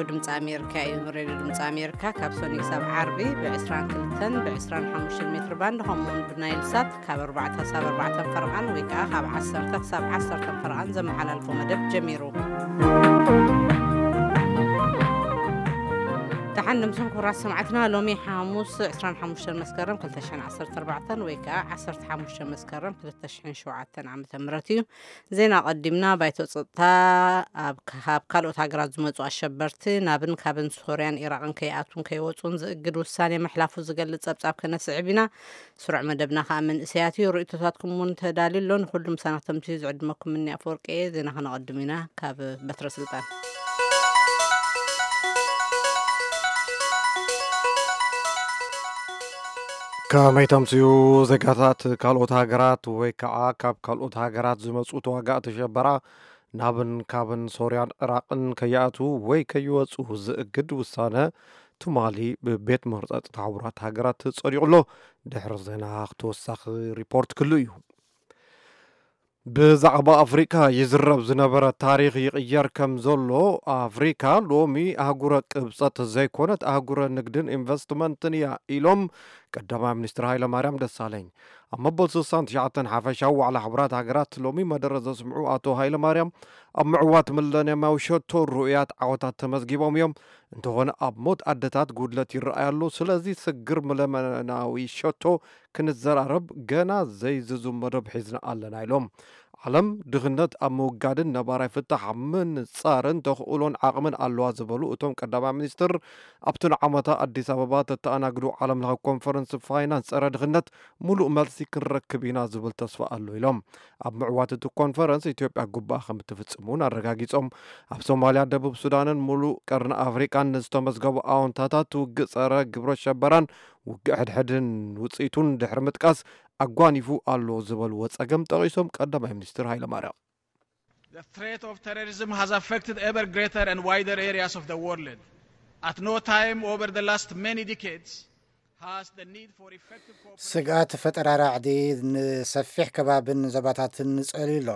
ድምፂ ኣሜሪካ እዩ። ሬድዮ ድምፂ ኣሜሪካ ካብ ሰኑይ ክሳብ ዓርቢ ብ22ን ብ25 ሜትር ባንድ ከምኡውን ብናይል ሳት ካብ ኣርባዕተ ክሳብ ኣርባዕተ ፈረቓን ወይ ከዓ ካብ ዓሰርተ ክሳብ ዓሰርተ ፈረቓን ዘመሓላልፎ መደብ ጀሚሩ። ደሓን ድምፅን ክቡራት ሰማዕትና፣ ሎሚ ሓሙስ 25 መስከረም 2014 ወይ ከዓ 15 መስከረም 2007 ዓመተ ምህረት እዩ። ዜና ቀዲምና። ባይቶ ጸጥታ ኣብ ካብ ካልኦት ሃገራት ዝመጹ ኣሸበርቲ ናብን ካብን ሶርያን ኢራቕን ከይኣትዉን ከይወጹን ዝእግድ ውሳኔ ምሕላፉ ዝገልጽ ጸብጻብ ከነስዕብ ኢና። ስሩዕ መደብና ከኣ መንእሰያት እዩ። ርእይቶታትኩም እውን ተዳልዩ ኣሎ። ንኹሉ ምሳና ክተምስዩ ዝዕድመኩም ምኒ ኣፈወርቂ እየ። ዜና ከነቐድም ኢና። ካብ በትረ ስልጣን። ከመይ ተምስዩ? ዜጋታት ካልኦት ሃገራት ወይ ከዓ ካብ ካልኦት ሃገራት ዝመጹ ተዋጋእቲ ሸበራ ናብን ካብን ሶርያን ዕራቕን ከይኣትዉ ወይ ከይወጹ ዝእግድ ውሳነ ትማሊ ብቤት ምኽሪ ጸጥታ ሕቡራት ሃገራት ጸዲቑ ኣሎ። ድሕሪ ዜና ተወሳኺ ሪፖርት ክህሉ እዩ። ብዛዕባ ኣፍሪካ ይዝረብ ዝነበረ ታሪኽ ይቕየር ከም ዘሎ፣ ኣፍሪካ ሎሚ ኣህጉረ ቅብጸት ዘይኮነት ኣህጉረ ንግድን ኢንቨስትመንትን እያ ኢሎም ቀዳማይ ሚኒስትር ሃይለማርያም ደሳለኝ። ኣብ መበል 69 ሓፈሻዊ ዋዕላ ሕቡራት ሃገራት ሎሚ መደረ ዘስምዑ ኣቶ ሃይለማርያም፣ ኣብ ምዕዋት ሚለንየማዊ ሸቶ ርኡያት ዓወታት ተመዝጊቦም እዮም። እንተኾነ ኣብ ሞት ኣደታት ጉድለት ይረኣይ ኣሎ። ስለዚ ስግር ሚለንየማዊ ሸቶ ክንዘራረብ ገና ዘይዝዙም መደብ ሒዝና ኣለና ኢሎም። ዓለም ድኽነት ኣብ ምውጋድን ነባራይ ፍታሕ ኣብ ምንጻርን ተኽእሎን ዓቕምን ኣለዋ ዝበሉ እቶም ቀዳማይ ሚኒስትር፣ ኣብቲ ንዓመታ ኣዲስ ኣበባ ተተኣናግዱ ዓለም ለኸ ኮንፈረንስ ፋይናንስ ጸረ ድኽነት ሙሉእ መልሲ ክንረክብ ኢና ዝብል ተስፋ ኣሎ ኢሎም። ኣብ ምዕዋት እቲ ኮንፈረንስ ኢትዮጵያ ግቡኣ ከም እትፍጽም እውን ኣረጋጊጾም። ኣብ ሶማልያ፣ ደቡብ ሱዳንን ሙሉእ ቀርኒ ኣፍሪቃን ንዝተመዝገቡ ኣዎንታታት ውግእ ጸረ ግብረ ሸበራን ውግእ ሕድሕድን ውጽኢቱን ድሕሪ ምጥቃስ፣ ኣጓኒፉ ኣሎ ዝበልዎ ጸገም ጠቒሶም ቀዳማይ ሚኒስትር ሃይለማርያም። The threat of terrorism has affected ever greater and wider areas of the world. At no time over the last many decades has the need for effective cooperation. ስግኣት ፈጠራ ራዕዲ ንሰፊሕ ከባብን ዞባታትን ጸልዩ ኣሎ።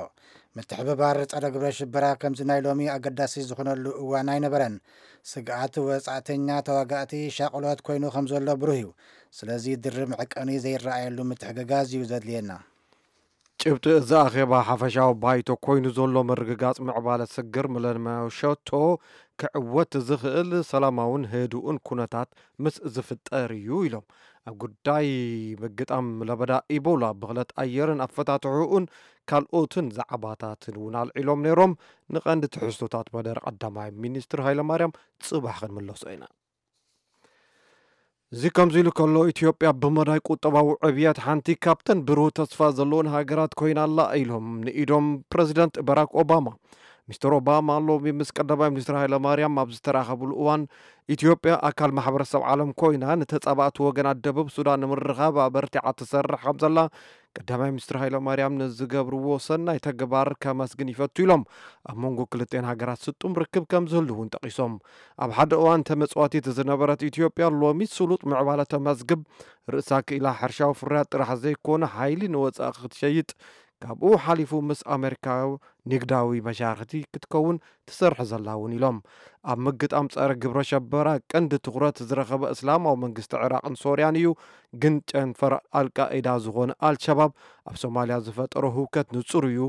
ምትሕብባር ጸረ ግብረ ሽበራ ከምዚ ናይ ሎሚ ኣገዳሲ ዝኾነሉ እዋን ኣይነበረን። ስግኣት ወጻእተኛ ተዋጋእቲ ሻቕሎት ኮይኑ ከም ዘሎ ብሩህ እዩ። ስለዚ ድርብ መዕቀኒ ዘይረኣየሉ ምትሕግጋዝ እዩ ዘድልየና። ጭብጢ እዚ ኣኼባ ሓፈሻዊ ባይቶ ኮይኑ ዘሎ ምርግጋጽ ምዕባለ ስግር ሚለንየማዊ ሸቶ ክዕወት ዝኽእል ሰላማውን ህዱእን ኩነታት ምስ ዝፍጠር እዩ ኢሎም። ኣብ ጉዳይ ምግጣም ለበዳ ኢቦላ፣ ብኽለት ኣየርን ኣፈታትሕኡን ካልኦትን ዛዕባታትን እውን ኣልዒሎም ነይሮም። ንቐንዲ ትሕዝቶታት መደረ ቀዳማይ ሚኒስትር ሃይለማርያም ጽባሕ ክንምለሶ ኢና። እዚ ከምዚ ኢሉ ከሎ፣ ኢትዮጵያ ብመዳይ ቁጠባዊ ዕብየት ሓንቲ ካብተን ብሩህ ተስፋ ዘለዎን ሃገራት ኮይና ኣላ ኢሎም ንኢዶም ፕረዚደንት በራክ ኦባማ። ሚስተር ኦባማ ሎሚ ምስ ቀዳማይ ሚኒስትር ሃይለማርያም ኣብ ዝተራኸብሉ እዋን፣ ኢትዮጵያ ኣካል ማሕበረሰብ ዓለም ኮይና ንተጻባእቲ ወገናት ደቡብ ሱዳን ንምርኻብ ኣበርቲዓ ትሰርሕ ከም ዘላ ቀዳማይ ሚኒስትር ሃይለማርያም ንዝገብርዎ ሰናይ ተግባር ከመስግን ይፈቱ ኢሎም። ኣብ መንጎ ክልቴን ሃገራት ስጡም ርክብ ከም ዝህሉ እውን ጠቒሶም። ኣብ ሓደ እዋን ተመጽዋቲት ዝነበረት ኢትዮጵያ ሎሚ ስሉጥ ምዕባለ ተመዝግብ። ርእሳ ክኢላ ሕርሻዊ ፍርያት ጥራሕ ዘይኮነ ሓይሊ ንወጻኢ ክትሸይጥ፣ ካብኡ ሓሊፉ ምስ ኣሜሪካ ንግዳዊ መሻርክቲ ክትከውን ትሰርሕ ዘላ እውን ኢሎም። ኣብ ምግጣም ጸረ ግብረ ሸበራ ቀንዲ ትኹረት ዝረኸበ እስላማዊ መንግስቲ ዕራቕን ሶርያን እዩ፣ ግን ጨንፈር ኣልቃኢዳ ዝኾነ ኣልሸባብ ኣብ ሶማልያ ዝፈጠሮ ህውከት ንጹር እዩ።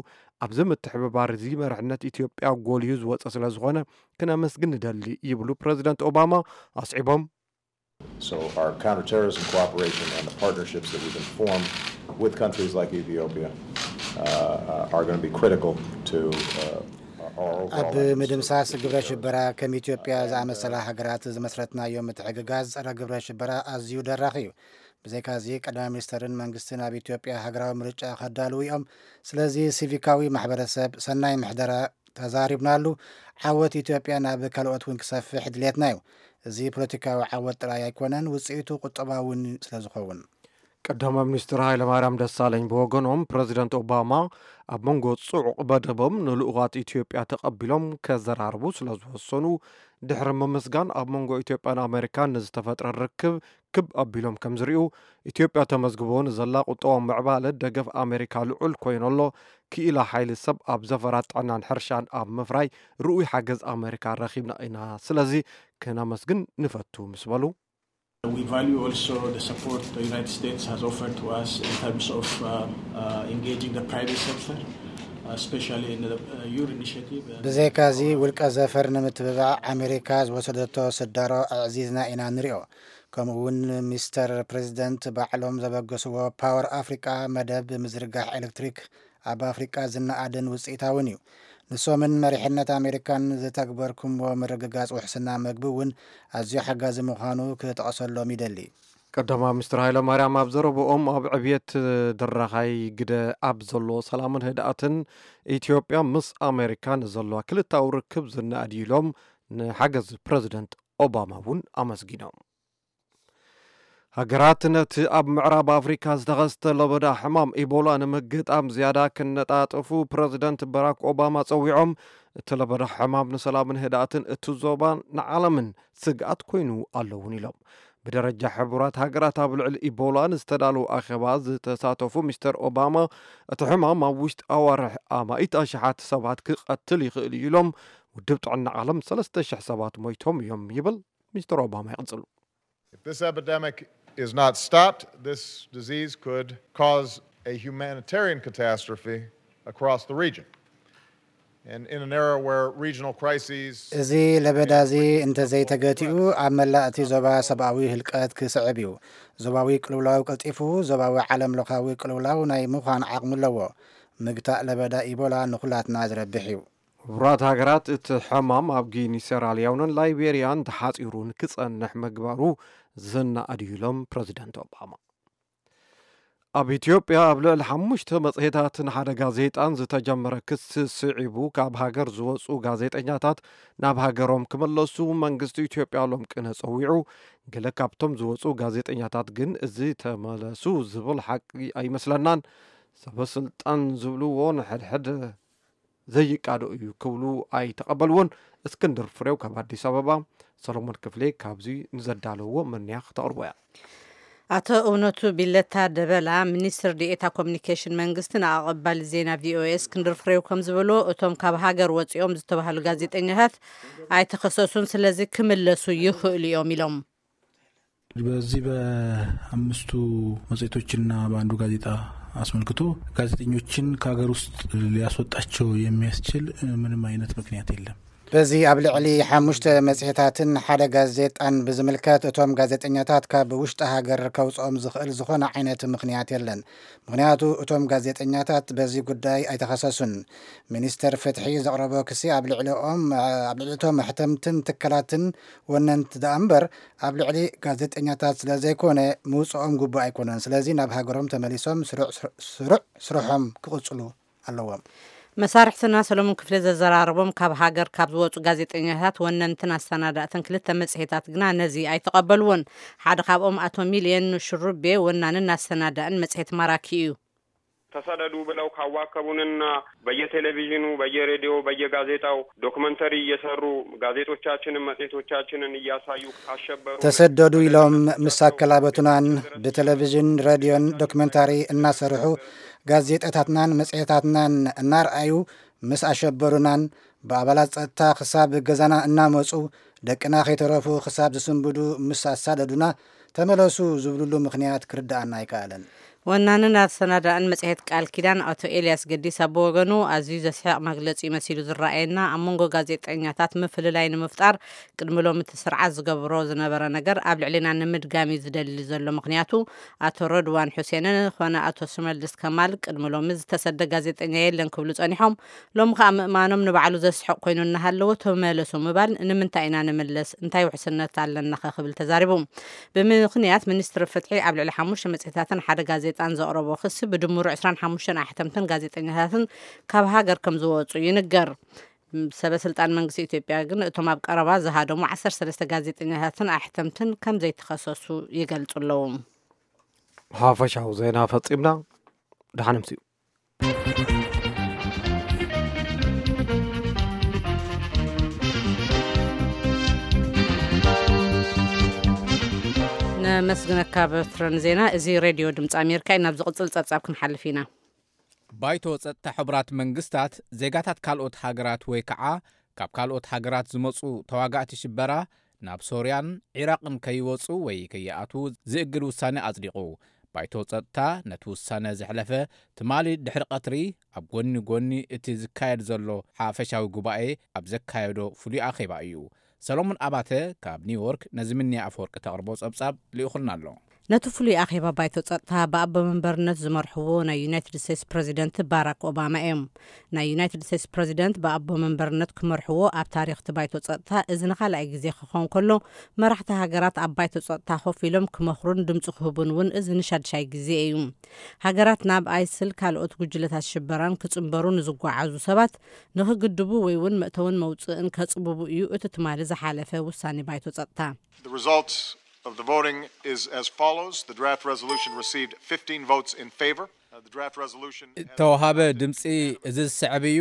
ኣብዚ ምትሕብባር እዚ መርሕነት ኢትዮጵያ ጎሊሁ ዝወጸ ስለ ዝኾነ ክነመስግን ንደሊ ይብሉ ፕረዚደንት ኦባማ ኣስዒቦም። So our counterterrorism cooperation and the partnerships that we can form with countries like Ethiopia uh, uh, are going to be critical to uh, our overall ኣብ efforts to ምድምሳስ ግብረ terrorism. ሽበራ ከም ኢትዮጵያ ዝኣመሰላ ሃገራት ዝመስረትናዮ ምትሕግጋዝ ጸረ ግብረ ሽበራ ኣዝዩ ደራኺ እዩ። ብዘይካዚ ቀዳማይ ሚኒስተርን መንግስትን ኣብ ኢትዮጵያ ሃገራዊ ምርጫ ከዳልዉ እዮም። ስለዚ ሲቪካዊ ማሕበረሰብ፣ ሰናይ ምሕደራ ተዛሪብናሉ። ዓወት ኢትዮጵያ ናብ ካልኦት እውን ክሰፍሕ ድሌትና እዩ። እዚ ፖለቲካዊ ዓወት ጥራይ ኣይኮነን፣ ውፅኢቱ ቁጠባዊ እውን ስለዝኸውን። ቀዳማይ ሚኒስትር ሃይለማርያም ደሳለኝ ብወገኖም፣ ፕረዚደንት ኦባማ ኣብ መንጎ ጽዑቕ መደቦም ንልኡኻት ኢትዮጵያ ተቐቢሎም ከዘራርቡ ስለ ዝወሰኑ ድሕሪ ምምስጋን፣ ኣብ መንጎ ኢትዮጵያን ኣሜሪካን ንዝተፈጥረ ርክብ ክብ ኣቢሎም ከም ዝርእዩ፣ ኢትዮጵያ ተመዝግቦ ንዘላ ቁጠባዊ ምዕባለ ደገፍ ኣሜሪካ ልዑል ኮይኑ ኣሎ፣ ክኢላ ሓይሊ ሰብ ኣብ ዘፈራት ጥዕናን ሕርሻን ኣብ ምፍራይ ርኡይ ሓገዝ ኣሜሪካ ረኺብና ኢና፣ ስለዚ ክነመስግን ንፈቱ ምስ በሉ፣ We value also the support the United States has offered to us in terms of uh, uh, engaging the private sector, especially in the uh, your initiative. And ብዘይካዚ፣ our ውልቀ ዘፈር ንምትብባዕ ኣሜሪካ ዝወሰደቶ ስዳሮ ኣዕዚዝና ኢና ንሪኦ። ከምኡ እውን ሚስተር ፕሬዚደንት ባዕሎም ዘበገስዎ ፓወር ኣፍሪቃ መደብ ምዝርጋሕ ኤሌክትሪክ ኣብ ኣፍሪቃ ዝነኣድን ውፅኢታውን እዩ። ንሶምን መሪሕነት ኣሜሪካን ዝተግበርኩምዎ ምርግጋፅ ውሕስና መግቢ እውን ኣዝዩ ሓጋዚ ምዃኑ ክጠቕሰሎም ይደሊ። ቀዳማይ ሚኒስትር ሃይለማርያም ኣብ ዘረብኦም፣ ኣብ ዕብየት ድራኻይ ግደ ኣብ ዘሎ ሰላምን ህድኣትን ኢትዮጵያ ምስ ኣሜሪካ ንዘለዋ ክልታዊ ርክብ ዝነኣድ እዩ ኢሎም፣ ንሓገዝ ፕረዚደንት ኦባማ እውን ኣመስጊኖም። ሃገራት ነቲ ኣብ ምዕራብ ኣፍሪካ ዝተኸስተ ለበዳ ሕማም ኢቦላ ንምግጣም ዝያዳ ክነጣጥፉ ፕረዚደንት በራክ ኦባማ ጸዊዖም፣ እቲ ለበዳ ሕማም ንሰላምን ህድኣትን እቲ ዞባን ንዓለምን ስግኣት ኮይኑ ኣሎ እውን ኢሎም። ብደረጃ ሕቡራት ሃገራት ኣብ ልዕሊ ኢቦላ ንዝተዳለወ ኣኼባ ዝተሳተፉ ሚስተር ኦባማ፣ እቲ ሕማም ኣብ ውሽጢ ኣዋርሕ ኣማኢት ኣሽሓት ሰባት ክቐትል ይኽእል እዩ ኢሎም። ውድብ ጥዕና ዓለም ሰለስተ ሽሕ ሰባት ሞይቶም እዮም ይብል ሚስተር ኦባማ ይቕጽሉ። If this epidemic is not stopped, this disease could cause a humanitarian catastrophe across the region. And in an era where regional crises እዚ ለበዳ እዚ እንተዘይተገቲኡ፣ ኣብ መላእ እቲ ዞባ ሰብኣዊ ህልቀት ክስዕብ እዩ። ዞባዊ ቅልውላው ቀልጢፉ ዞባዊ ዓለም ለኻዊ ቅልውላው ናይ ምዃን ዓቕሚ ኣለዎ። ምግታእ ለበዳ ኢቦላ ንኹላትና ዝረብሕ እዩ። ሕቡራት ሃገራት እቲ ሕማም ኣብ ጊኒ፣ ሴራሊዮንን ላይቤርያን ተሓጺሩ ንክጸንሕ ምግባሩ ዝነኣድ እዩ ኢሎም ፕረዚደንት ኦባማ። ኣብ ኢትዮጵያ ኣብ ልዕሊ ሓሙሽተ መጽሔታትን ሓደ ጋዜጣን ዝተጀመረ ክሲ ስዒቡ፣ ካብ ሃገር ዝወጹ ጋዜጠኛታት ናብ ሃገሮም ክመለሱ መንግስቲ ኢትዮጵያ ሎም ቅነ ጸዊዑ። ገለ ካብቶም ዝወጹ ጋዜጠኛታት ግን እዚ ተመለሱ ዝብል ሓቂ ኣይመስለናን። ሰበ ስልጣን ዝብልዎ ንሕድሕድ ዘይቃዶ እዩ ክብሉ ኣይተቐበልዎን። እስክንድር ፍሬው ካብ ኣዲስ ኣበባ፣ ሰሎሞን ክፍሌ ካብዚ ንዘዳለዎ መኒያ ክተቕርቦ እያ። ኣቶ እውነቱ ቢለታ ደበላ፣ ሚኒስትር ዲኤታ ኮሚኒኬሽን መንግስቲ፣ ንኣቐባሊ ዜና ቪኦኤ እስክንድር ፍሬው ከም ዝበሎ፣ እቶም ካብ ሃገር ወፂኦም ዝተባህሉ ጋዜጠኛታት ኣይተኸሰሱን፣ ስለዚ ክምለሱ ይኽእሉ እዮም ኢሎም። በዚህ በአምስቱ መጽሔቶችና በአንዱ ጋዜጣ አስመልክቶ ጋዜጠኞችን ከሀገር ውስጥ ሊያስወጣቸው የሚያስችል ምንም አይነት ምክንያት የለም። በዚ ኣብ ልዕሊ ሓሙሽተ መጽሔታትን ሓደ ጋዜጣን ብዝምልከት፣ እቶም ጋዜጠኛታት ካብ ውሽጢ ሃገር ከውጽኦም ዝኽእል ዝኾነ ዓይነት ምኽንያት የለን። ምኽንያቱ፣ እቶም ጋዜጠኛታት በዚ ጉዳይ ኣይተኸሰሱን። ሚኒስተር ፍትሒ ዘቕረቦ ክሲ ኣብ ልዕሊኦም፣ ኣብ ልዕሊ እቶም ኣሕተምትን ትካላትን ወነንቲ ደኣ እምበር፣ ኣብ ልዕሊ ጋዜጠኛታት ስለ ዘይኮነ፣ ምውጽኦም ግቡእ ኣይኮነን። ስለዚ ናብ ሃገሮም ተመሊሶም ስሩዕ፣ ስሩዕ ስርሖም ክቕጽሉ ኣለዎም። መሳርሕትና ሰሎሞን ክፍለ ዘዘራረቦም፣ ካብ ሃገር ካብ ዝወጹ ጋዜጠኛታት፣ ወነንትን ኣሰናዳእትን ክልተ መጽሔታት ግና ነዚ ኣይተቐበልዎን። ሓደ ካብኦም ኣቶ ሚልየን ሽሩቤ፣ ወናንን ኣሰናዳእን መጽሔት ማራኪ እዩ። ተሰደዱ ብለው ካዋከቡንና በየቴሌቪዥኑ፣ በየሬዲዮ፣ በየጋዜጣው ዶክመንተሪ እየሰሩ ጋዜጦቻችንን መጽሔቶቻችንን እያሳዩ ካሸበሩ፣ ተሰደዱ ኢሎም ምስ ኣከላበቱናን ብቴሌቪዥን፣ ሬድዮን ዶክመንታሪ እናሰርሑ፣ ጋዜጣታትናን መጽሔታትናን እናርኣዩ ምስ ኣሸበሩናን፣ ብኣባላት ጸጥታ ክሳብ ገዛና እናመጹ፣ ደቅና ከይተረፉ ክሳብ ዝስንብዱ ምስ ኣሳደዱና፣ ተመለሱ ዝብሉሉ ምኽንያት ክርድኣና ኣይከኣለን። ወናንን ኣሰናዳእን መጽሔት ቃል ኪዳን ኣቶ ኤልያስ ገዲሳ ብወገኑ፣ ኣዝዩ ዘስሕቕ መግለጺ መሲሉ ዝረኣየና፣ ኣብ መንጎ ጋዜጠኛታት ምፍልላይ ንምፍጣር ቅድሚ ሎሚ እቲ ስርዓት ዝገብሮ ዝነበረ ነገር ኣብ ልዕሊና ንምድጋም እዩ ዝደሊ ዘሎ። ምኽንያቱ፣ ኣቶ ረድዋን ሑሴንን ኾነ ኣቶ ሽመልስ ከማል ቅድሚ ሎሚ ዝተሰደ ጋዜጠኛ የለን ክብሉ ጸኒሖም። ሎሚ ኸኣ ምእማኖም ንባዕሉ ዘስሕቕ ኮይኑ እናሃለወ፣ ተመለሱ ምባል ንምንታይ ኢና ንምለስ? እንታይ ውሕስነት ኣለናኸ? ክብል ተዛሪቡ። ብምኽንያት ሚኒስትሪ ፍትሒ ኣብ ልዕሊ ሓሙሽተ መጽሔታትን ሓደ ጋዜጣን ዘቕረቦ ክሲ፣ ብድምሩ ዕስራን ሓሙሽተን ኣሕተምትን ጋዜጠኛታትን ካብ ሃገር ከም ዝወጹ ይንገር። ሰበ ስልጣን መንግስቲ ኢትዮጵያ ግን እቶም ኣብ ቀረባ ዝሃደሙ ዓሰርተ ሰለስተ ጋዜጠኛታትን ኣሕተምትን ከም ዘይተኸሰሱ ይገልጹ ኣለዉ። ሓፈሻዊ ዜና ፈጺምና። ደሓን ምጽኡ። ነመስግነካ በትረን ዜና። እዚ ሬድዮ ድምፂ ኣሜሪካ እዩ። ናብ ዝቕፅል ፀብፃብ ክንሓልፍ ኢና። ባይቶ ጸጥታ ሕቡራት መንግስታት ዜጋታት ካልኦት ሃገራት ወይ ከዓ ካብ ካልኦት ሃገራት ዝመጹ ተዋጋእቲ ሽበራ ናብ ሶርያን ዒራቕን ከይወጹ ወይ ከይኣትዉ ዝእግድ ውሳኔ ኣጽዲቑ። ባይቶ ጸጥታ ነቲ ውሳነ ዘሕለፈ ትማሊ ድሕሪ ቀትሪ ኣብ ጎኒ ጎኒ እቲ ዝካየድ ዘሎ ሓፈሻዊ ጉባኤ ኣብ ዘካየዶ ፍሉይ ኣኼባ እዩ። ሰሎሞን ኣባተ ካብ ኒውዮርክ ነዚ ምንያ ኣፈወርቂ ተቕርቦ ጸብጻብ ልኢኹልና ኣሎ። ነቲ ፍሉይ ኣኼባ ባይቶ ጸጥታ ብኣቦ መንበርነት ዝመርሕዎ ናይ ዩናይትድ ስቴትስ ፕረዚደንት ባራክ ኦባማ እዮም። ናይ ዩናይትድ ስቴትስ ፕረዚደንት ብኣቦ መንበርነት ክመርሕዎ ኣብ ታሪኽ እቲ ባይቶ ጸጥታ እዚ ንኻልኣይ ግዜ ክኸውን ከሎ፣ መራሕቲ ሃገራት ኣብ ባይቶ ጸጥታ ኮፍ ኢሎም ክመኽሩን ድምፂ ክህቡን እውን እዚ ንሻድሻይ ግዜ እዩ። ሃገራት ናብ ኣይስል ካልኦት ጉጅለታት ሽበራን ክጽንበሩ ንዝጓዓዙ ሰባት ንኽግድቡ ወይ እውን መእተውን መውፅእን ከጽብቡ እዩ እቲ ትማሊ ዝሓለፈ ውሳኔ ባይቶ ጸጥታ። The result of the voting is as follows. The draft resolution received fifteen votes in favor. Uh, the draft resolution has እተዋሃበ ድምፂ እዚ ዝስዕብ እዩ።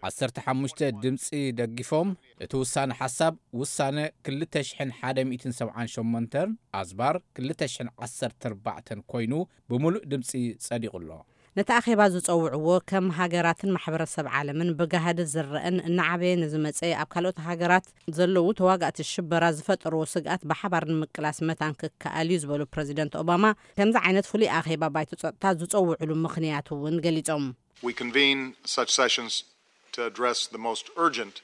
ዓሰርተ ሓሙሽተ ድምፂ ደጊፎም። እቲ ውሳነ ሓሳብ ውሳነ ክልተ ሽሕን ሓደ ሚእትን ሰብዓን ሸሞንተን ኣዝባር ክልተ ሽሕን ዓሰርተ ኣርባዕተን ኮይኑ ብምሉእ ድምፂ ጸዲቑ ኣሎ። ነቲ ኣኼባ ዝጸውዕዎ ከም ሃገራትን ማሕበረሰብ ዓለምን ብጋህዲ ዝረአን እናዓበየ ንዝመጸ ኣብ ካልኦት ሃገራት ዘለዉ ተዋጋእቲ ሽበራ ዝፈጠርዎ ስግኣት ብሓባር ንምቅላስ መታን ክከኣል እዩ ዝበሉ ፕረዚደንት ኦባማ፣ ከምዚ ዓይነት ፍሉይ ኣኼባ ባይቶ ጸጥታ ዝጸውዕሉ ምኽንያት እውን ገሊጾም። We convene such sessions to address the most urgent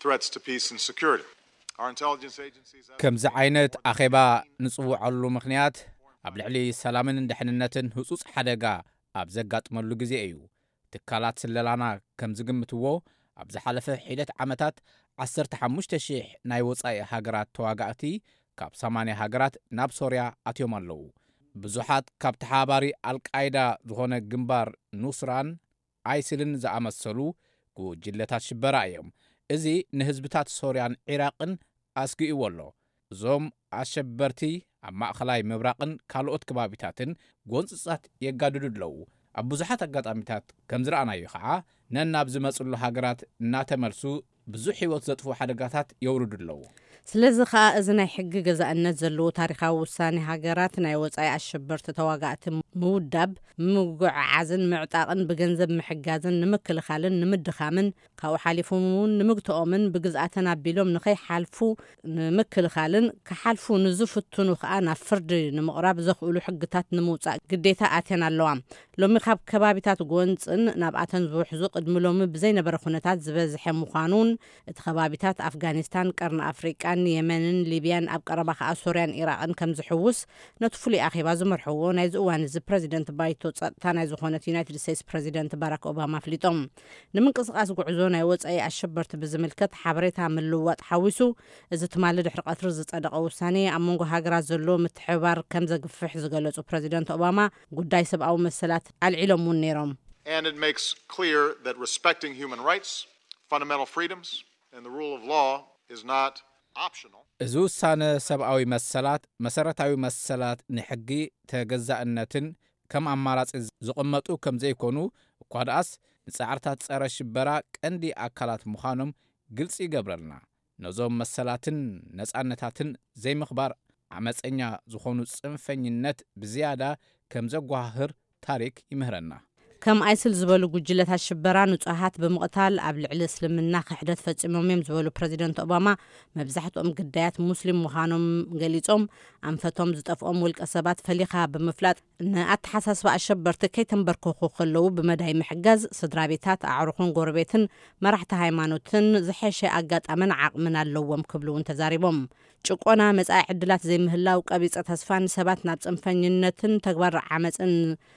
threats to peace and security. Our intelligence agencies have ከምዚ ዓይነት ኣኼባ ንጽውዓሉ ምኽንያት ኣብ ልዕሊ ሰላምን ድሕንነትን ህጹጽ ሓደጋ ኣብ ዘጋጥመሉ ግዜ እዩ። ትካላት ስለላና ከም ዝግምትዎ፣ ኣብ ዝሓለፈ ሒደት ዓመታት ዓሰርተ ሓሙሽተ ሽሕ ናይ ወጻኢ ሃገራት ተዋጋእቲ ካብ ሰማንያ ሃገራት ናብ ሶርያ ኣትዮም ኣለዉ። ብዙሓት ካብ ተሓባሪ ኣልቃይዳ ዝኾነ ግንባር ኑስራን ኣይስልን ዝኣመሰሉ ጉጅለታት ሽበራ እዮም። እዚ ንህዝብታት ሶርያን ዒራቕን ኣስጊእዎ ኣሎ። እዞም ኣሸበርቲ ኣብ ማእኸላይ ምብራቕን ካልኦት ከባቢታትን ጎንፅፃት የጋድዱ ኣለዉ። ኣብ ብዙሓት ኣጋጣሚታት ከም ዝረኣናዮ ከዓ፣ ነናብ ዝመፅሉ ሃገራት እናተመልሱ ብዙሕ ህይወት ዘጥፍኡ ሓደጋታት የውርዱ ኣለዉ። ስለዚ ከዓ፣ እዚ ናይ ሕጊ ገዛእነት ዘለዎ ታሪኻዊ ውሳኔ ሃገራት ናይ ወጻኢ ኣሸበርቲ ተዋጋእቲ ምውዳብ፣ ምጉዕዓዝን ምዕጣቕን ብገንዘብ ምሕጋዝን ንምክልኻልን ንምድኻምን፣ ካብኡ ሓሊፎም እውን ንምግትኦምን ብግዝኣተን ኣቢሎም ንኸይሓልፉ ንምክልኻልን፣ ክሓልፉ ንዝፍትኑ ከዓ ናብ ፍርዲ ንምቕራብ ዘኽእሉ ሕግታት ንምውጻእ ግዴታ ኣትየን ኣለዋ። ሎሚ ካብ ከባቢታት ጎንጽን ናብኣተን ዝውሕዙ ቅድሚ ሎሚ ብዘይነበረ ኩነታት ዝበዝሐ ምዃኑን፣ እቲ ከባቢታት ኣፍጋኒስታን፣ ቀርኒ ኣፍሪቃን፣ የመንን ሊብያን፣ ኣብ ቀረባ ከኣ ሶርያን ኢራቕን ከም ዝሕውስ ነቲ ፍሉይ ኣኼባ ዝመርሕዎ ናይዚ እዋን እዚ ፕረዚደንት ባይቶ ጸጥታ ናይ ዝኾነት ዩናይትድ ስቴትስ ፕረዚደንት ባራክ ኦባማ ኣፍሊጦም። ንምንቅስቓስ ጉዕዞ ናይ ወጻኢ ኣሸበርቲ ብዝምልከት ሓበሬታ ምልውዋጥ ሓዊሱ፣ እዚ ትማሊ ድሕሪ ቀትሪ ዝጸደቐ ውሳኔ ኣብ መንጎ ሃገራት ዘሎ ምትሕብባር ከም ዘግፍሕ ዝገለጹ ፕረዚደንት ኦባማ፣ ጉዳይ ሰብኣዊ መሰላት ኣልዒሎም እውን ነይሮም። And it makes clear that respecting human rights, fundamental freedoms, and the rule of law is not optional. እዚ ውሳነ ሰብኣዊ መሰላት፣ መሰረታዊ መሰላት ንሕጊ ተገዛእነትን ከም ኣማራጺ ዝቕመጡ ከም ዘይኮኑ፣ እኳ ደኣስ ንጻዕርታት ጸረ ሽበራ ቀንዲ ኣካላት ምዃኖም ግልጺ ይገብረልና። ነዞም መሰላትን ነጻነታትን ዘይምኽባር ዓመጸኛ ዝኾኑ ጽንፈኝነት ብዝያዳ ከም ዘጓሃህር ታሪክ ይምህረና። ከም ኣይስል ዝበሉ ጉጅለታት ሽበራ ንጹሃት ብምቕታል ኣብ ልዕሊ እስልምና ክሕደት ፈጺሞም እዮም ዝበሉ ፕረዚደንት ኦባማ፣ መብዛሕትኦም ግዳያት ሙስሊም ምዃኖም ገሊጾም፣ ኣንፈቶም ዝጠፍኦም ውልቀ ሰባት ፈሊኻ ብምፍላጥ ንኣተሓሳስባ ኣሸበርቲ ከይተንበርከኹ ከለዉ ብመዳይ ምሕጋዝ፣ ስድራ ቤታት፣ ኣዕሩኽን ጎረቤትን መራሕቲ ሃይማኖትን ዝሐሸ ኣጋጣምን ዓቕምን ኣለዎም ክብሉ እውን ተዛሪቦም። ጭቆና፣ መጻኢ ዕድላት ዘይምህላው፣ ቀቢጸ ተስፋን ሰባት ናብ ጽንፈኝነትን ተግባር ዓመጽን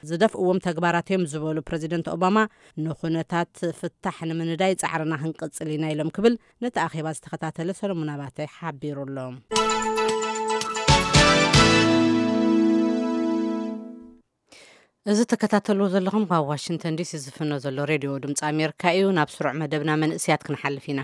ዝደፍእዎም ተግባራት እዮም ዝበሉ ፕረዚደንት ኦባማ፣ ንኹነታት ፍታሕ ንምንዳይ ጻዕርና ክንቅጽል ኢና ኢሎም ክብል ነቲ ኣኼባ ዝተኸታተለ ሰሎሞን ኣባተ ሓቢሩ ኣሎ። እዚ ተከታተልዎ ዘለኹም ካብ ዋሽንግተን ዲሲ ዝፍኖ ዘሎ ሬድዮ ድምፂ ኣሜሪካ እዩ። ናብ ስሩዕ መደብና መንእስያት ክንሓልፍ ኢና።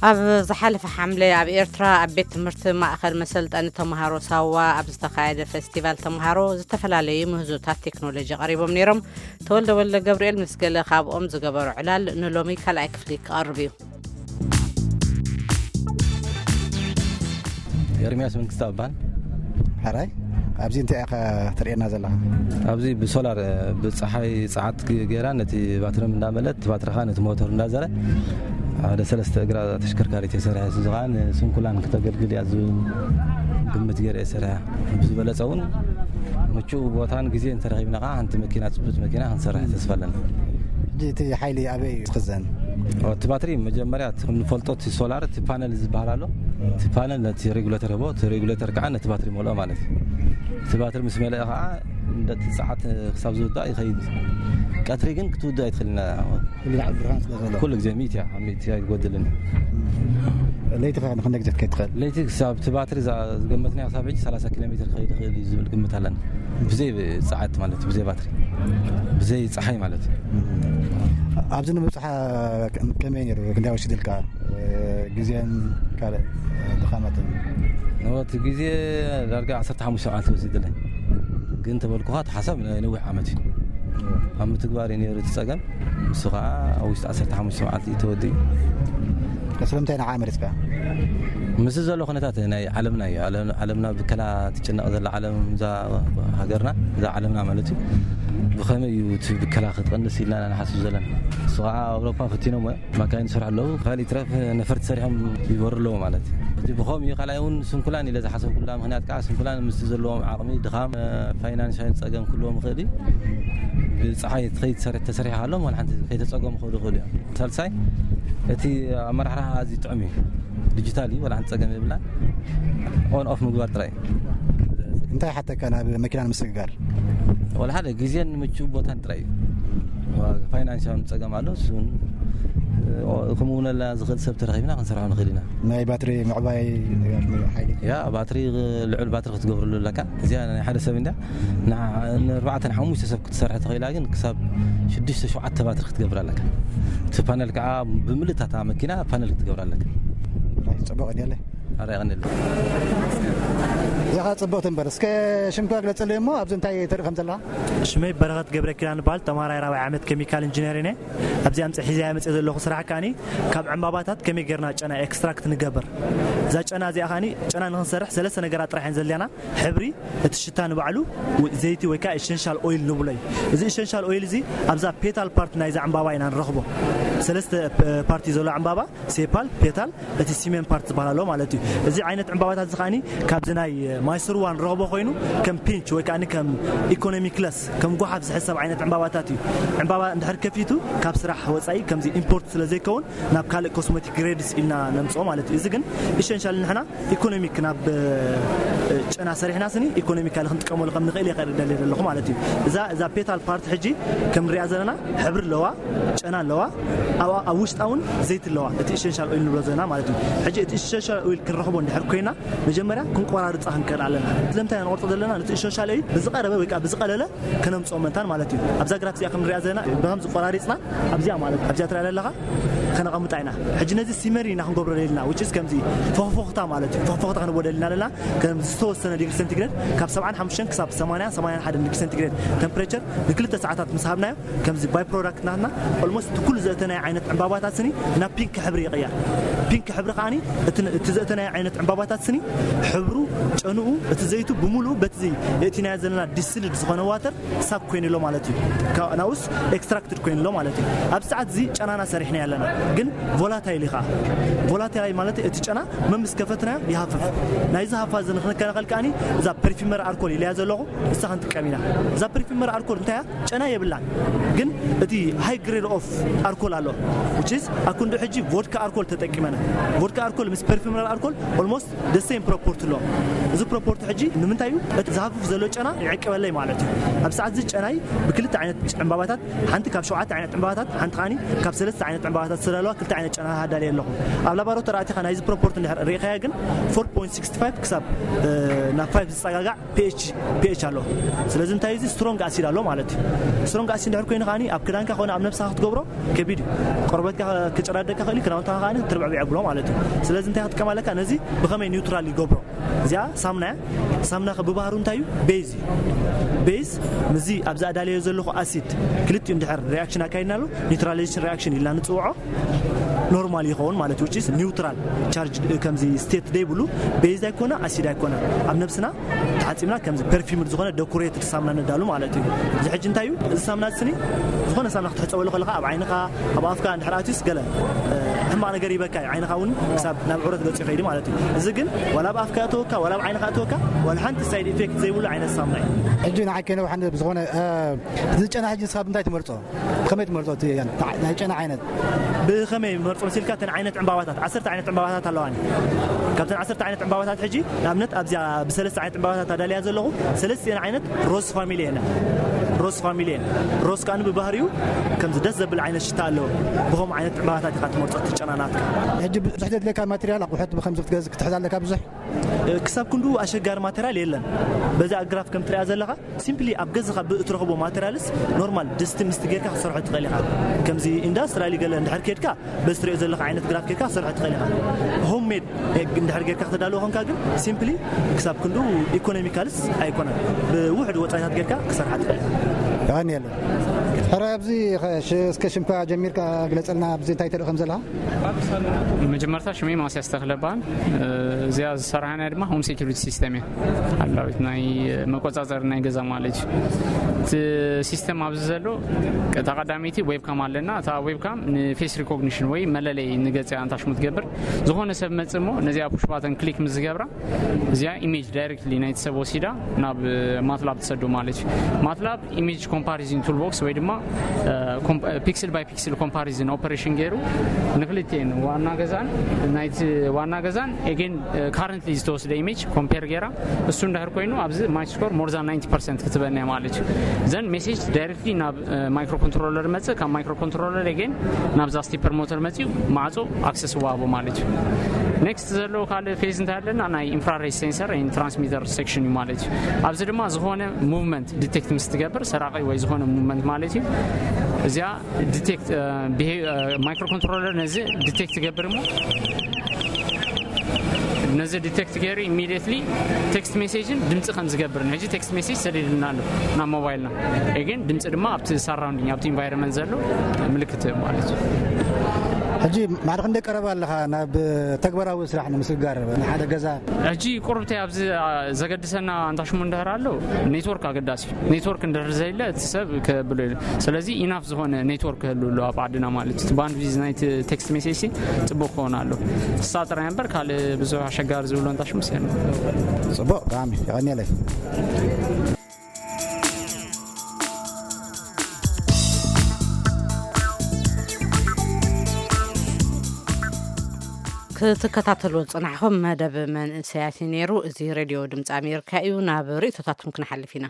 ኣብ ዝሓለፈ ሓምለ ኣብ ኤርትራ ኣብ ቤት ትምህርቲ ማእኸል መሰልጠኒ ተምሃሮ ሳዋ ኣብ ዝተኻየደ ፈስቲቫል ተምሃሮ ዝተፈላለዩ ምህዞታት ቴክኖሎጂ ቀሪቦም ነይሮም። ተወልደ ወልደ ገብርኤል ምስ ገለ ካብኦም ዝገበሮ ዕላል ንሎሚ ካልኣይ ክፍሊ ክቐርብ እዩ። ኤርሚያስ መንግስቱ እባል። ሕራይ፣ ኣብዚ እንታይ ኢኻ ትርእየና ዘለኻ? ኣብዚ ብሶላር፣ ብፀሓይ ፀዓት ገይራ ነቲ ባትሪ እንዳመለት፣ እቲ ባትሪ ኸዓ ነቲ ሞተር እንዳዘረ፣ ሓደ ሰለስተ እግራ ተሽከርካሪት የሰርሐ። እዚ ኸዓ ንስንኩላን ክተገልግል እያ ዝብል ግምት ገይረ የሰርሐ። ብዝበለፀ እውን ምቹእ ቦታን ግዜ እንተረኺብና ኸዓ ሓንቲ መኪና፣ ፅብት መኪና ክንሰርሕ ተስፋ ኣለና። ሕጂ እቲ ሓይሊ ኣበይ እዩ ዝኽዘን? እቲ ባትሪ መጀመርያ እቲ ከም ንፈልጦ እቲ ሶላር፣ እቲ ፓነል ዝበሃል ኣሎ። እቲ ፓነል ነቲ ሬጉሌተር ህቦ፣ እቲ ሬጉሌተር ከዓ ነቲ ባትሪ መልኦ ማለት እዩ። እቲ ባትሪ ምስ መለአ ከዓ እንደቲ ሰዓት ክሳብ ዝውዳእ ይኸይድ። ቀትሪ ግን ክትውድእ ኣይትኽእልና። ኩሉ ግዜ ሚእቲ እያ፣ ሚእቲ ኣይትጎድልን። ለይቲ ኸ ንክንደይ ግዜ ትከይድ ትኽእል? ለይቲ ክሳብ እቲ ባትሪ ዝገመትና ክሳብ ሕጂ ሰላሳ ኪሎ ሜትር ክኸይድ ይኽእል እዩ ዝብል ግምት ኣለና። ብዘይ ፀዓት ማለት፣ ብዘይ ባትሪ፣ ብዘይ ፀሓይ ማለት እዩ። ኣብዚ ንምብፅሓ ከመይ ነይሩ? ክንደይ ወሲድልካ? ግዜን ካልእ ድኻማትን? እቲ ግዜ ዳርጋ ዓሰርተ ሓሙሽተ መዓልቲ ወሲድለይ። ግን ተበልኩኻ፣ እቲ ሓሳብ ናይ ነዊሕ ዓመት እዩ። ኣብ ምትግባር እዩ ነይሩ እቲ ፀገም። ንሱ ከዓ ኣብ ውሽጢ ዓሰርተ ሓሙሽተ መዓልቲ እዩ ተወዲኡ። ስለምንታይ ንዓ መሪፅካ? ምስ ዘሎ ኩነታት ናይ ዓለምና እዩ። ዓለም- ዓለምና ብከላ ትጭነቕ ዘላ ዓለም፣ እዛ ሃገርና፣ እዛ ዓለምና ማለት እዩ። ብኸመይ እዩ እቲ ብከላ ክትቐንስ ኢልና ንሓስብ ዘለና። ንሱ ከዓ ኣብ ኣውሮፓ ፈቲኖም፣ ማካይን ይሰርሑ ኣለዉ። ካልእ ይትረፍ ነፈርቲ ሰሪሖም ይበሩ ኣለዉ ማለት እዩ። እቲ ብኸምኡ እዩ። ካልኣይ እውን ስንኩላን ኢለ ዝሓሰብኩላ ምኽንያት ከዓ ስንኩላን ምስቲ ዘለዎም ዓቕሚ ድኻም፣ ፋይናንሻል ፀገም ክህልዎም ይኽእል እዩ። ብፀሓይ ከይተሰርሐ ተሰሪሑ ሃሎም ዋላ ሓንቲ ከይተፀገሙ ክኸዱ ይኽእሉ እዮም። ሳልሳይ እቲ ኣመራርሓ ኣዝዩ ጥዑም እዩ። ዲጂታል እዩ፣ ዋላ ሓንቲ ፀገም የብላን። ኦን ኦፍ ምግባር ጥራይ እዩ። እንታይ ሓተካ ናብ መኪና ንምስግጋር? ዋላ ሓደ ግዜን ምቹው ቦታን ጥራይ እዩ። ፋይናንሻውን ፀገም ኣሎ። እሱን ከምኡ ውነላ ዝኽእል ሰብ ተረኺብና ክንሰርሖ ንኽእል ኢና። ናይ ባትሪ ምዕባይ ሓይሊ? ያ ባትሪ፣ ልዑል ባትሪ ክትገብርሉ ኣለካ። እዚኣ ናይ ሓደ ሰብ እንዳ ንኣርባዕተ ንሓሙሽተ ሰብ ክትሰርሕ ተኽእላ፣ ግን ክሳብ ሽዱሽተ ሸውዓተ ባትሪ ክትገብር ኣለካ። እቲ ፓነል ከዓ ብምልእታታ መኪና ፓነል ክትገብር ኣለካ። ጽቡቕ ድያለ? ኣረ ይቐንል። እዚኻ ጽቡቕቲ እምበር፣ እስከ ሽምካ ግለጽለይ እሞ ኣብዚ እንታይ ትርኢ ከም ዘለኻ? ሽመይ በረኸት ገብረ ኪዳን እበሃል፣ ተምሃራይ ራብዓይ ዓመት ኬሚካል ኢንጂነሪንግ እየ። ኣብዚ ኣምጽ- ሒዘያ መጽእ ዘለኹ ስራሕ ከኣኒ ካብ ዕምባባታት ከመይ ጌርና ጨና ኤክስትራክት ንገብር። እዛ ጨና እዚኣ ከኣኒ ጨና ንኽንሰርሕ ሰለስተ ነገራት ጥራሕ እየን ዘድልያና። ሕብሪ፣ እቲ ሽታ ንባዕሉ፣ ዘይቲ ወይ ከዓ ኢሰንሻል ኦይል ንብሎ እዩ። እዚ ኢሰንሻል ኦይል እዚ ኣብዛ ፔታል ፓርት ናይዛ ዕምባባ ኢና ንረኽቦ። ሰለስተ ፓርቲ ዘሎ ዕምባባ፣ ሴፓል፣ ፔታል፣ እቲ ሲሜን ፓርት ዝበሃል ኣሎ ማለት እዩ። እዚ ዓይነት ዕምባባታት እዚ ከዓኒ ካብዚ ናይ ማይስርዋ ንረኽቦ ኮይኑ ከም ፒንች ወይ ከዓ ከም ኢኮኖሚ ክለስ፣ ከም ጓሓፍ ዝሕሰብ ዓይነት ዕምባባታት እዩ። ዕምባባ እንድሕር ከፊቱ ካብ ስራሕ ወፃኢ ከምዚ ኢምፖርት ስለ ዘይከውን ናብ ካልእ ኮስሞቲክ ግሬድስ ኢልና ነምፅኦ ማለት እዩ። እዚ ግን ኢሰንሻል ንሕና ኢኮኖሚክ ናብ ጨና ሰሪሕና ስኒ ኢኮኖሚካሊ ክንጥቀመሉ ከም ንኽእል እየ ከርኢ ደልየ ዘለኹ ማለት እዩ። እዛ እዛ ፔታል ፓርት ሕጂ ከም ንሪኣ ዘለና ሕብሪ ኣለዋ፣ ጨና ኣለዋ፣ ኣብ ውሽጣ እውን ዘይቲ ኣለዋ። እቲ ኢሰንሻል ኦይል ንብሎ ዘለና ማለት እዩ። ሕጂ እቲ ኢሰንሻል ኦይል ክንረኽቦ እንድሕር ኮይና መጀመርያ ክንቆራርፃ ክንክእል ኣለና። ስለምንታይ ንቆርፆ ዘለና? ነቲ ኢሰንሻል ኦይል ብዝቐረበ ወይ ከዓ ብዝቐለለ ከነምፅኦ መታን ማለት እዩ። ኣብዛ ግራፍ እዚኣ ከም ንሪኣ ዘለና ብከም ዝቆራሪፅና ኣብዚኣ ማለት ኣብዚኣ ትሪኣ ዘለኻ ከነቐምጣ ኢና። ሕጂ ነዚ ሲመሪ ኢና ክንገብሮ ደሊና፣ which is ከምዚ ፎኽፎኽታ ማለት እዩ። ፎኽፎኽታ ክንቦ ደሊና ኣለና። ከም ዝተወሰነ ዲግሪ ሴንቲግሬድ፣ ካብ ሰብዓን ሓሙሽተን ክሳብ ሰማንያ፣ ሰማንያን ሓደን ዲግሪ ሴንቲግሬድ ቴምፕሬቸር ንክልተ ሰዓታት ምስ ሃብናዮ፣ ከምዚ ባይ ፕሮዳክት ናትና ኦልሞስት ኩሉ ዘእተናዮ ዓይነት ዕምባባታት ስኒ ናብ ፒንክ ሕብሪ ይቕየር። ፒንክ ሕብሪ ከዓኒ እቲ ዘእተናዮ ዓይነት ዕምባባታት ስኒ ሕብሩ፣ ጨንኡ፣ እቲ ዘይቱ ብምሉኡ በቲ የእቲናዮ ዘለና ዲስልድ ዝኾነ ዋተር ሳብ ኮይኑሎ ማለት እዩ። ናብኡስ ኤክስትራክትድ ኮይኑሎ ማለት እዩ። ኣብ ሰዓት እዚ ጨናና ሰሪሕና ኣለና፣ ግን ቮላታይል ኢኻ። ቮላታይል ማለት እቲ ጨና መምስ ከፈትናዮ ይሃፍፍ። ናይዚ ሃፋ እዚ ንክንከላኸል ከዓኒ እዛ ፐርፊመር ኣርኮል ኢለያ ዘለኹ እሳ ክንጥቀም ኢና። እዛ ፐርፊመር ኣርኮል እንታይ እያ? ጨና የብላን፣ ግን እቲ ሃይ ግሬድ ኦፍ ኣርኮል ኣሎ፣ which is ኣኩንዶ ሕጂ ቮድካ ኣርኮል ተጠቂመና። ቮድካ ኣርኮል ምስ ፐርፊመር ኣርኮል ኦልሞስት ደሴም ፕሮፖርቲ ኣሎ። እዚ ፕሮፖርቲ ሕጂ ንምንታይ እዩ? እቲ ዝሃፍፍ ዘሎ ጨና ይዕቅበለይ ማለት እዩ። ኣብ ሰዓት እዚ ጨናይ ብክልተ ዓይነት ዕምባባታት፣ ሓንቲ ካብ ሸውዓተ ዓይነት ዕምባባታት፣ ሓንቲ ከዓኒ ካብ ሰለስተ ዓይነት ዕምባባታት ዝተዳለዋ ክልተ ዓይነት ጨና ሃዳልየ ኣለኹ። ኣብ ላቦራቶሪ ኣቲኻ ናይዚ ፕሮፖርቲ እንድሕር ርኢኻዮ ግን ፎር ፖይንት ሲክስቲ ፋይቭ ክሳብ ናብ ፋይቭ ዝፀጋጋዕ ፒኤች ፒኤች ኣሎ። ስለዚ እንታይ እዚ ስትሮንግ ኣሲድ ኣሎ ማለት እዩ። ስትሮንግ ኣሲድ እንድሕር ኮይኑ ከዓኒ ኣብ ክዳንካ ኮነ ኣብ ነብስኻ ክትገብሮ ከቢድ እዩ። ቆርበትካ ክጭራደካ ክእል እዩ፣ ክዳውንትኻ ከዓኒ ክትርብዕብዖ ብሎ ማለት እዩ። ስለዚ እንታይ ክትጥቀም ኣለካ? ነዚ ብኸመይ ኒውትራል ይገብሮ? እዚኣ ሳምና እያ። ሳምና ከ ብባህሩ እንታይ እዩ? ቤዝ እዩ። ቤዝ ምስዚ ኣብዚ ኣዳለዮ ዘለኹ ኣሲድ ክልቲኡ እንድሕር ሪያክሽን ኣካይድናሉ፣ ኒውትራላይዜሽን ሪያክሽን ኢልና ንፅውዖ፣ ኖርማል ይኸውን ማለት እዩ። ኒውትራል ቻርጅ፣ ከምዚ ስቴት ዘይብሉ፣ ቤዝ ኣይኮነ፣ ኣሲድ ኣይኮነ። ኣብ ነብስና ተሓፂብና ከምዚ ፐርፊምድ ዝኾነ ደኮሬትድ ሳምና ነዳሉ ማለት እዩ። እዚ ሕጂ እንታይ እዩ? እዚ ሳምና ስኒ ዝኾነ ሳምና ክትሕፀበሉ ከለኻ፣ ኣብ ዓይንኻ፣ ኣብ ኣፍካ እንድሕር ኣትዩስ ገለ ሕማቕ ነገር ይበካ እዩ። ዓይንኻ እውን ክሳብ ናብ ዕረት ገፁ ይኸይድ ማለት እዩ። እዚ ግን ዋላ ኣብ ኣፍካ እተወካ ዋላ ኣብ ዓይንኻ እተወካ ዋላ ሓንቲ ሳይድ ኢፌክት ዘይብሉ ዓይነት ሳምና እዩ። ሕጂ ንዓይ ከይነውሓን ብዝኾነ፣ እዚ ጨና ሕጂ ንስኻ ብምንታይ ትመርፆ? ብኸመይ ትመርፆ? እቲ ናይ ጨና ዓይነት ብኸመይ መርፆ መሲልካ? እተን ዓይነት ዕምባባታት፣ ዓሰርተ ዓይነት ዕምባባታት ኣለዋኒ። ካብተን ዓሰርተ ዓይነት ዕምባባታት ሕጂ ንኣብነት ኣብዚኣ ብሰለስተ ዓይነት ዕምባባታት ኣዳልያ ዘለኹ፣ ሰለስቲኤን ዓይነት ሮዝ ፋሚሊ እየን። ሮዝ ፋሚሊ እየን። ሮዝ ከኣ ብባህሪኡ ከምዚ ደስ ዘብል ዓይነት ሽታ ኣለዎ። ብኸምኡ ዓይነት ዕምባባታት ኢኻ ትመርጾ እቲ ጨናናትካ። ሕጂ ብዙሕ ዘድልየካ ማቴሪያል ኣቑሑት ብኸምዚ ክትገዝ ክትሕዝ ኣለካ ብዙሕ? ክሳብ ክንዱ ኣሸጋሪ ማቴሪያል የለን። በዚ ኣግራፍ ከም ትሪኣ ዘለኻ ሲምፕሊ ኣብ ገዝኻ ብእትረኽቦ ማቴሪያልስ ኖርማል ድስቲ ምስቲ ጌርካ ክትሰርሖ ትኽእል ኢኻ። ከምዚ ኢንዳስትራሊ ገለ እንድሕር ኬድካ በዚ ትሪኦ ዘለኻ ዓይነት ግራፍ ጌርካ ክትሰርሖ ትኽእል ኢኻ። ሆም ሜድ እንድሕር ጌርካ ክትዳለዎ ኾንካ ግን ሲምፕሊ ክሳብ ክንዱ ኢኮኖሚካልስ ኣይኮነን። ብውሕድ ወፃኢታት ጌርካ ክሰርሓ ትኽእል ኢኻ። የቐንየለይ። ሕረ ኣብዚ ኸ-፣ ሽ-፣ እስከ ሽምካ ጀሚርካ ግለጸልና፣ ኣብዚ እንታይ ተርኢ ከም ዘለኻ? መጀመርታ ሽመይ ማስያስ ተኽለ እበሃል። እዚኣ ዝሰርሓ ናይ ድማ ሆም ሴኩሪቲ ሲስተም እያ። ኣላዊት ናይ መቆጻጸሪ ናይ ገዛ ማለት እዩ። እቲ ሲስተም ኣብዚ ዘሎ ቀ-፣ እታ ቀዳመይቲ ዌብካም ኣለና። እታ ዌብካም ንፌስ ሪኮግኒሽን ወይ መለለይ ንገጽ እያ ኣንታሽሙ ትገብር። ዝኾነ ሰብ መጽእ እሞ ነዚኣ ፑሽ ባተን ክሊክ ምስ ዝገብራ እዚኣ ኢሜጅ ዳይሬክትሊ ናይቲ ሰብ ወሲዳ ናብ ማትላብ ትሰዶ ማለት እዩ። ማትላብ ኢሜጅ ኮምፓሪዝን ቱልቦክስ ወይ ድማ ፒክስል ባይ ፒክስል ኮምፓሪዝን ኦፐሬሽን ገይሩ ንክልቲኤን ዋና ገዛን ናይቲ ዋና ገዛን ኤጌን ካረንትሊ ዝተወስደ ኢሜጅ ኮምፔር ገይራ እሱ እንድሕር ኮይኑ ኣብዚ ማይ ስኮር ሞር ዛን ናይንቲ ፐርሰንት ክትበን እያ ማለት እዩ። ዘን ሜሴጅ ዳይሬክትሊ ናብ ማይክሮ ኮንትሮለር መጽእ፣ ካብ ማይክሮ ኮንትሮለር ኤጌን ናብዛ ስቲፐር ሞተር መጽኡ ማዕጾ ኣክሰስ ዋሃቦ ማለት እዩ። ኔክስት ዘለዎ ካልእ ፌዝ እንታይ ኣለና? ናይ ኢንፍራሬድ ሴንሰር ትራንስሚተር ሴክሽን እዩ ማለት እዩ። ኣብዚ ድማ ዝኾነ ሙቭመንት ዲቴክት ምስ ትገብር፣ ሰራቂ ወይ ዝኾነ ሙቭመንት ማለት እዩ። እዚኣ ዲቴክት ማይክሮ ኮንትሮለር ነዚ ዲቴክት ትገብር እሞ ነዚ ዲቴክት ገይሩ ኢሚዲየትሊ ቴክስት ሜሴጅን ድምፂ ከም ዝገብርን ሕጂ ቴክስት ሜሴጅ ሰዲድልና ኣሎ ናብ ሞባይልና። ግን ድምፂ ድማ ኣብቲ ሳራውንዲንግ ኣብቲ ኢንቫይሮንመንት ዘሎ ምልክት ማለት እዩ። ሕጂ ማዕረ ክንደይ ቀረባ ኣለኻ ናብ ተግባራዊ ስራሕ ንምስግጋር ንሓደ ገዛ? ሕጂ ቁርብተይ ኣብዚ ዘገድሰና ኣንታሽሙ እንድሕር ኣሎ ኔትወርክ ኣገዳሲ እዩ። ኔትወርክ እንድሕር ዘየለ እቲ ሰብ ከብሎ ኢሉ። ስለዚ ኢናፍ ዝኾነ ኔትወርክ ክህሉ ኣሎ ኣብ ዓድና ማለት እዩ። እቲ ባንድዊዝ ናይቲ ቴክስት ሜሴጅ ሲ ጽቡቕ ክኸውን ኣሎ። እሳ ጥራይ እምበር ካልእ ብዙሕ ኣሸጋሪ ዝብሎ ኣንታሽሙ ሲ ኣሎ። ጽቡቕ፣ ብጣዕሚ የቐንየለይ። ክትከታተልዎ ዝጸናሕኹም መደብ መንእሰያት እዩ ነይሩ። እዚ ሬድዮ ድምፂ ኣሜሪካ እዩ። ናብ ርእይቶታትኩም ክንሓልፍ ኢና።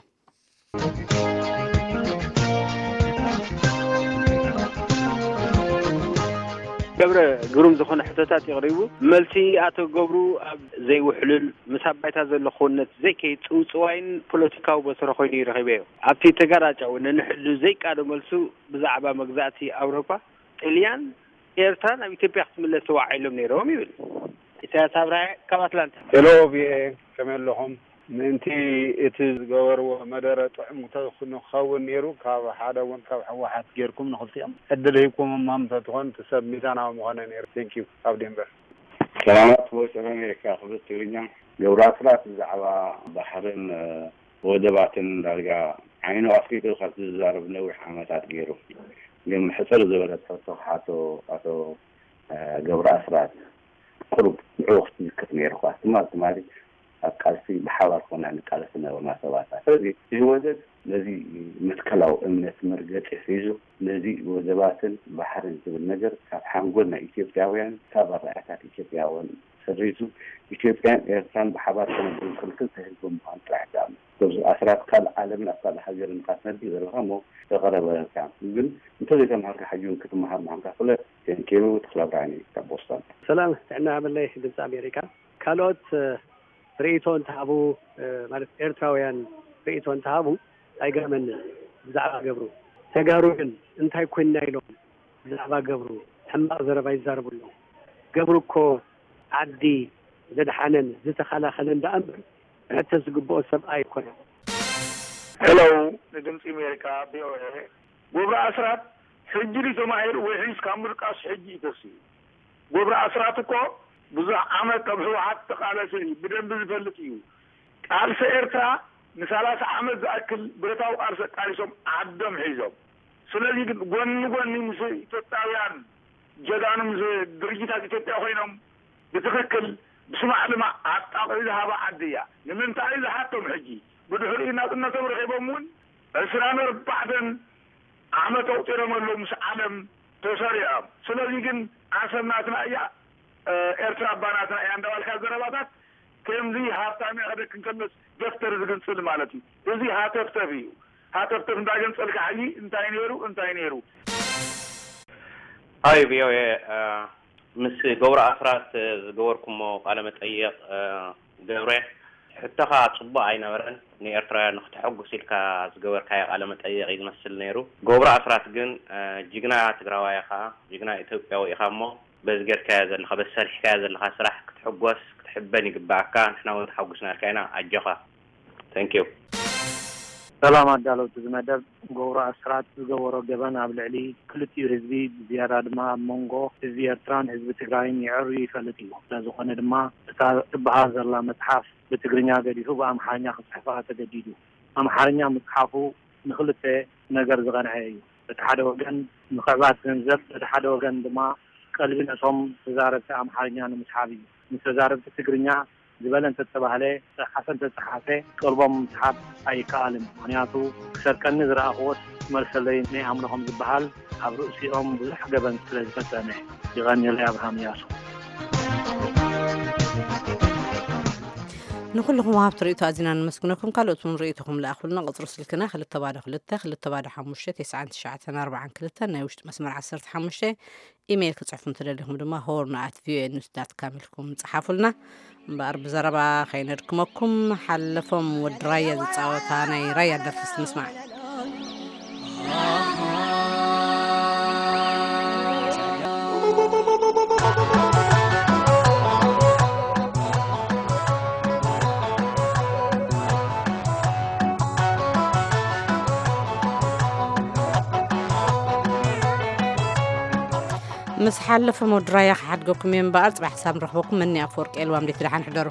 ገብረ፣ ግሩም ዝኾነ ሕቶታት የቕሪቡ። መልሲ ኣቶ ገብሩ ኣብ ዘይውሕሉል ምስ ኣብ ባይታ ዘሎ ክውንነት ዘይከይድ ጽውጽዋይን ፖለቲካዊ በትሪ ኮይኑ እዩ ረኺበዮ። ኣብቲ ተጋራጫዊ ነንሕሉ ዘይቃዶ መልሱ ብዛዕባ መግዛእቲ ኣውሮፓ፣ ጥልያን ኤርትራ ናብ ኢትዮጵያ ክትምለስ ተዋዒሎም ነይሮም ይብል። ኢሳያስ ኣብርሃ ካብ ኣትላንታ። ሄሎ ቪኦኤ፣ ከመይ ኣለኹም? ምእንቲ እቲ ዝገበርዎ መደረ ጥዑም ንክኸውን ነይሩ፣ ካብ ሓደ እውን ካብ ህወሓት ጌርኩም ንኽልቲኦም ዕድል ሂብኩሞም ተትኾን እቲ ሰብ ሚዛናዊ ምኾነ ነይሩ። Thank you። ካብ ዴንቨር። ሰላማት ቮይስ ኦፍ ኣሜሪካ ክብሪ ትግርኛ። ገብሩ ኣስራት ብዛዕባ ባሕርን ወደባትን ዳርጋ ዓይኑ ኣፍሊጡ ካብ ዝዛረብ ነዊሕ ዓመታት ገይሩ። ግን ሕፅር ዝበለት ሕቶ ክሓቶ ኣቶ ገብሩ ኣስራት ቁሩብ ንዕኡ ክትምልከት ነይርኳ። ትማል ትማሊ ኣብ ቃልሲ ብሓባር ኮና ንቃለስ ዝነበርና ሰባት ኢና። ስለዚ እዚ ወደብ ነዚ መትከላዊ እምነት መርገፂ ሒዙ ነዚ ወደባትን ባሕርን ዝብል ነገር ካብ ሓንጎል ናይ ኢትዮጵያውያን ካብ ኣረኣእያታት ኢትዮጵያውያን ሰሪዙ ኢትዮጵያን ኤርትራን ብሓባር ክነብሩ ንኽእል ክልተ ህዝቢ ምዃን ጥራሕ ዝኣምን። ገብሩ ኣስራት ካልእ ዓለምን ኣብ ካልእ ሃገርን ኢኻ ትነብር ዘለኻ እሞ ተቐረበካ። ግን እንተዘይተምሃርካ ሕጂ እውን ክትመሃር ምዃንካ ፍለጥ። ቴንኪዩ። ተኽለ ብርሃን እዩ ካብ ቦስተን። ሰላም ጥዕና ሃበለይ ድምፂ ኣሜሪካ። ካልኦት ርእይቶ እንተሃቡ ማለት ኤርትራውያን ርእይቶ እንተሃቡ ኣይገርመንን። ብዛዕባ ገብሩ ተጋሩ ግን እንታይ ኮይንና ኢሎም ብዛዕባ ገብሩ ሕማቕ ዘረባ ይዛረቡ ኣለዉ። ገብሩ እኮ ዓዲ ዘድሓነን ዝተኸላኸለን ደኣ እምበር፣ ክሕተት ዝግብኦ ሰብ ኣይኮነን። ሄሎ፣ ንድምፂ ኣሜሪካ፣ ቪ ኦ ኤ። ገብሩ ኣስራት ሕጂ ድዩ ተማሂሩ ወይ ሕጅስ ካብ ምድቃስ ሕጂ እዩ ተሲኡ? ገብሩ ኣስራት እኮ ብዙሕ ዓመት ካብ ህወሓት ተቃለሰ እዩ፣ ብደንቢ ዝፈልጥ እዩ። ቃልሲ ኤርትራ ንሰላሳ ዓመት ዝኣክል ብረታዊ ቃልሲ ኣቃሊሶም ዓዶም ሒዞም። ስለዚ ግን ጎኒ ጎኒ ምስ ኢትዮጵያውያን ጀጋኑ፣ ምስ ድርጅታት ኢትዮጵያ ኮይኖም ብትኽክል ብስማዕ ልማዕ ኣጣቒዑ ዝሃባ ዓዲ እያ። ንምንታይ እዩ ዝሓቶም? ሕጂ ብድሕሪኡ ናጽነቶም ረኺቦም እውን ዕስራን ኣርባዕተን ዓመት ኣቑጺሮም ኣለዉ ምስ ዓለም ተሰሪዖም። ስለዚ ግን ዓሰብ ናትና እያ፣ ኤርትራ እባ ናትና እያ እንዳባልካ ዘረባታት ከምዚ ሃብታም እያ ክደክም ከሎስ ደፍተር ዝግንጽል ማለት እዩ። እዚ ሃተፍተፍ እዩ። ሃተፍተፍ እንዳገንጸልካ ሕጂ እንታይ ነይሩ፣ እንታይ ነይሩ? ሃይ ቪ ኦ ኤ፣ እ፣ ምስ ገብሩ ኣስራት ዝገበርኩሞ ቃለ መጠይቕ፣ እ፣ ገብረ፣ ሕቶኻ ጽቡቕ ኣይነበረን። ንኤርትራውያን ንክተሐጉስ ኢልካ ዝገበርካዮ ቃለ መጠይቕ እዩ ዝመስል ነይሩ። ገብሩ ኣስራት ግን፣ እ፣ ጅግና ትግራዋይ ኢኻ፣ ጅግና ኢትዮጵያዊ ኢኻ እሞ በዚ ጌርካዮ ዘለኻ፣ በዚ ሰሪሕካዮ ዘለኻ ስራሕ ክትሕጎስ፣ ክትሕበን ይግብኣካ። ንሕና እውን ተሓጒስናልካ ኢና። ኣጆኻ። Thank you። ሰላም ኣዳለውቲ እዚ መደብ። ገብሩ ኣስራት ዝገበሮ ገበን ኣብ ልዕሊ ክልቲኡ ህዝቢ፣ ብዝያዳ ድማ ኣብ መንጎ ህዝቢ ኤርትራን ህዝቢ ትግራይን የዐርዩ ይፈልጥ እዩ። ስለዝኾነ ድማ እታ ትበሃል ዘላ መጽሓፍ ብትግርኛ ገዲፉ ብኣምሓርኛ ክጽሕፋ ተገዲዱ። ኣምሓርኛ ምጽሓፉ ንኽልተ ነገር ዝቐንዐ እዩ። በቲ ሓደ ወገን ምኽዕባት ገንዘብ፣ በቲ ሓደ ወገን ድማ ቀልቢ ነቶም ተዛረብቲ ኣምሓርኛ ንምስሓብ እዩ። ንተዛረብቲ ትግርኛ ዝበለ እንተተባህለ፣ ጸሓፈ እንተጸሓፈ ቀልቦም ምስሓብ ኣይከኣልን። ምኽንያቱ ክሰርቀኒ ዝረኣኽዎስ ክመልሰለይ ናይ ኣምልኾም ዝበሃል ኣብ ርእሲኦም ብዙሕ ገበን ስለ ዝፈጸመ። የቐንየለይ ኣብርሃም እያሱ። ንኩልኹም ወሃብቲ ርእይቶ ኣዚና ነመስግነኩም። ካልኦት እውን ርእይቶኹም ለኣኹልና። ቁጽሪ ስልክና ክልተ ባዶ ክልተ ክልተ ባዶ ሓሙሽተ ተስዓን ትሽዓተን ኣርባዓን ክልተን፣ ናይ ውሽጢ መስመር ዓሰርተ ሓሙሽተ። ኢሜይል ክጽሕፉ እንተደሊኹም ድማ ሆርን ኣት ቪኦኤ ኒውስ ዳት ካም ኢልኩም ጸሓፉልና። እምበኣር ብዘረባ ከይነድክመኩም፣ ሓለፎም ወዲ ራያ ዝጻወታ ናይ ራያ ደርፊ እስቲ ንስማዕ። ምስ ሓለፎም ወዲ ራያ ክሓድገኩም እየ እምበኣር፣ ጽባሕ ክሳብ ንረኽበኩም፣ መኒ ኣፈወርቂ ኤልዋም፣ ደቲ ደሓን ሕደሩ።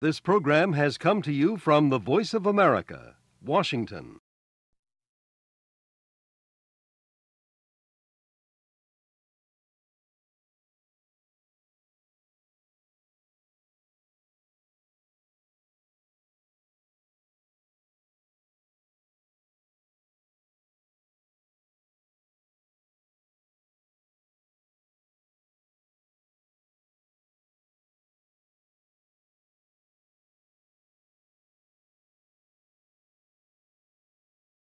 This program has come to you from the Voice of America, Washington.